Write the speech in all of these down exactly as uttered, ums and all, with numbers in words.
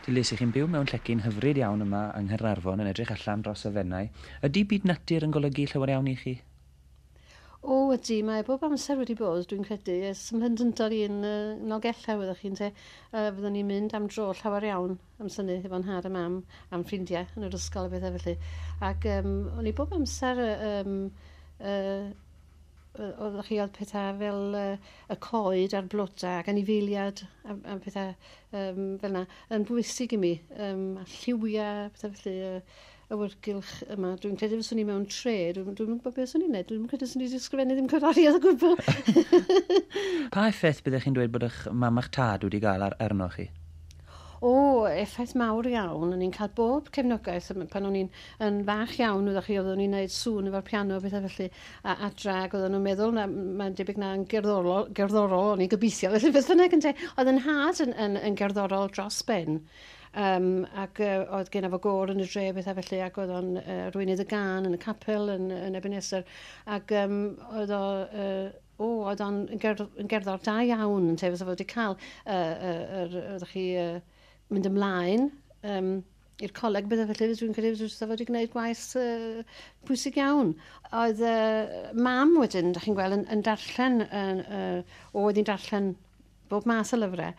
Dilys, ych chi'n byw mewn llecyn hyfryd iawn yma yng Nghaernarfon yn edrych allan dros y Fenai. Ydy byd natur yn golygu llawer iawn i chi? O, ydy, mae bob amser wedi bod, dwi'n credu. Ers ym mhlentyndod i'n uh, Nolgellau, fyddwch chi'n te. Uh, fyddwn ni'n mynd am dro llawer iawn am synnu efo'n nhad a mam, am ffrindiau yn yr ysgol a bethau felly. Ac um, o'n i bob amser um, uh, oeddech chi oedd pethau fel uh, y coed a'r blodau ac anifeiliad a, a pethau um, fel yna yn bwysig i mi. Um, a lliwiau, pethau felly, uh, awyrgylch yma. Dwi'n credu fyswn i mewn tre, dwi'n dwi gwybod beth swn i'n neud, dwi'n credu swn i wedi ysgrifennu ddim cerddoriaeth o gwbl. Pa effaith byddech chi'n dweud bod eich mam a'ch tad wedi gael ar arnoch chi? O, effaith mawr iawn. O'n i'n cael bob cefnogaeth pan o'n i'n yn fach iawn, oeddech chi, oeddwn i'n neud sŵn efo'r piano a bethau felly, a adra, ac oedden nhw'n meddwl, na, mae'n debyg na yn gerddorol, gerddorol, o'n i'n gobeithio, felly beth bynnag yn te. Oedd yn nhad yn, yn, yn gerddorol dros ben. Um, ac uh, oedd gen fo gôr yn y dre bethau felly, ac oedd o'n uh, arweinydd y gân yn y capel yn, yn Ebenezer, ac um, oedd o, uh, o, oedd o'n gerdd, yn gerddor da iawn, yn te, fysa fo wedi cael, uh, uh, yr, oeddech chi, uh, mynd ymlaen um, i'r coleg bethau felly, dwi'n credu fysa fo wedi gwneud gwaith uh, pwysig iawn. Oedd uh, mam wedyn, da chi'n gweld, yn, yn darllen, yn, uh, oedd hi'n darllen bob math o lyfrau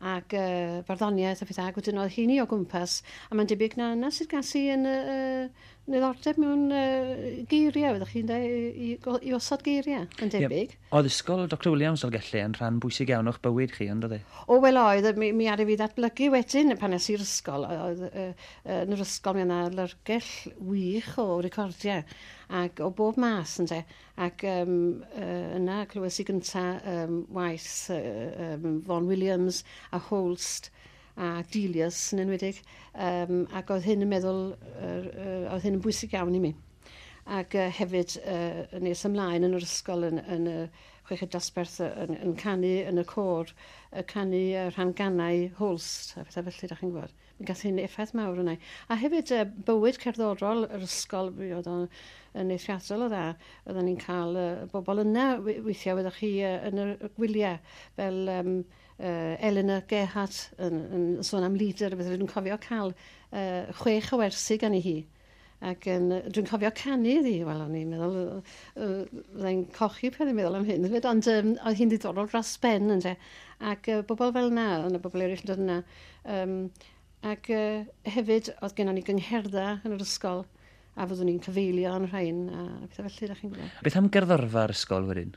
ac uh, barddoniaeth a pethau, ac wedyn oedd hi'n o gwmpas, a mae'n debyg na yna sydd gas i yn uh, niddordeb mewn uh, geiriau, oeddech chi'n dweud, i, i, i osod geiriau, yn debyg. Yep. Oedd ysgol Doctor Williams Dolgellau yn rhan bwysig iawn o'ch bywyd chi, ond oedd e? O, wel oedd, mi, mi aru fi ddatblygu wedyn pan es i'r ysgol. Oedd, uh, uh, yn yr ysgol mi yna lyrgell wych o recordiau, ac o bob mas, ynte. Ac um, uh, yna clywes i gynta um, waith uh, um, Vaughan Williams a Holst a Delius yn enwedig, um, ac oedd hyn yn meddwl, uh, uh, oedd hyn yn bwysig iawn i mi. Ac uh, hefyd uh, nes ymlaen yn yr ysgol yn, yn y chweched dosbarth yn, yn canu yn y côr, y canu uh, rhan ganau Holst a pethau felly, da chi'n gwybod. Mi gath hyn effaith mawr yna. A hefyd uh, bywyd cerddorol yr ysgol, mi oedd o'n yn eithriadol o dda. Oedden ni'n cael uh, bobl yna weithiau, oeddech chi uh, yn y gwyliau, fel um, uh, Eleanor Gerhardt yn, yn sôn am leader, beth dwi'n cofio cael uh, chwech o wersi gan i hi. Ac yn, dwi'n cofio canu iddi, wel, o'n i'n meddwl, uh, fyddai'n cochi pan i'n meddwl am hyn, ond um, oedd hi'n ddiddorol dros ben, ynte. Ac uh, bobl fel yna, oedd yna bobl eraill yn dod yna. Um, ac uh, hefyd, oedd gennon ni gyngherddau yn yr ysgol, a fyddwn ni'n cyfeilio yn rhain, a pethau felly, da chi'n gwybod. Beth am gerddorfa'r ysgol wedyn?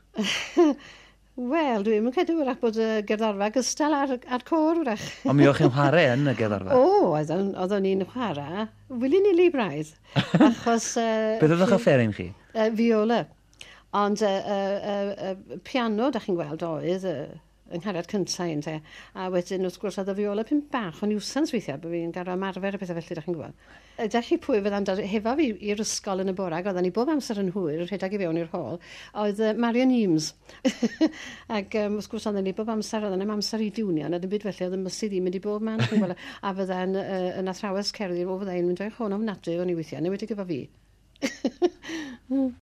Wel, dwi'n yn credu wrach bod y gerddorfa gystal ar, ar côr wrach. Ond mi o'ch chi'n chwarae yn y gerddorfa? O, oeddwn, oeddwn ni'n chwarae willy-nilly braidd. Achos... Uh, Beth oedd eich offeryn chi? Uh, viola. Ond uh, uh, uh, uh, piano, da chi'n gweld, oedd uh, yng nghariad cyntaf ynte. A wedyn, wrth gwrs, oedd y viola pyn bach o niwsans weithiau, bod fi'n gorfod ymarfer a pethau felly, da chi'n gwybod. Ydych chi pwy fydda'n dod hefo fi i'r ysgol yn y bore, ac oedden ni bob amser yn hwyr, rhedeg i fewn i'r hall, oedd uh, Marion Eames. Ac um, wrth gwrs, oedden ni bob amser, oedden ni'n amser i diwnio, na dim byd felly, oedd y mysu ddim mynd i bob man, chi'n gweld. A fydda'n uh, yn athrawes cerddi, o fyddai'n mynd o'i chôn ofnadwy o'n i weithiau, neu wedi gyda fi.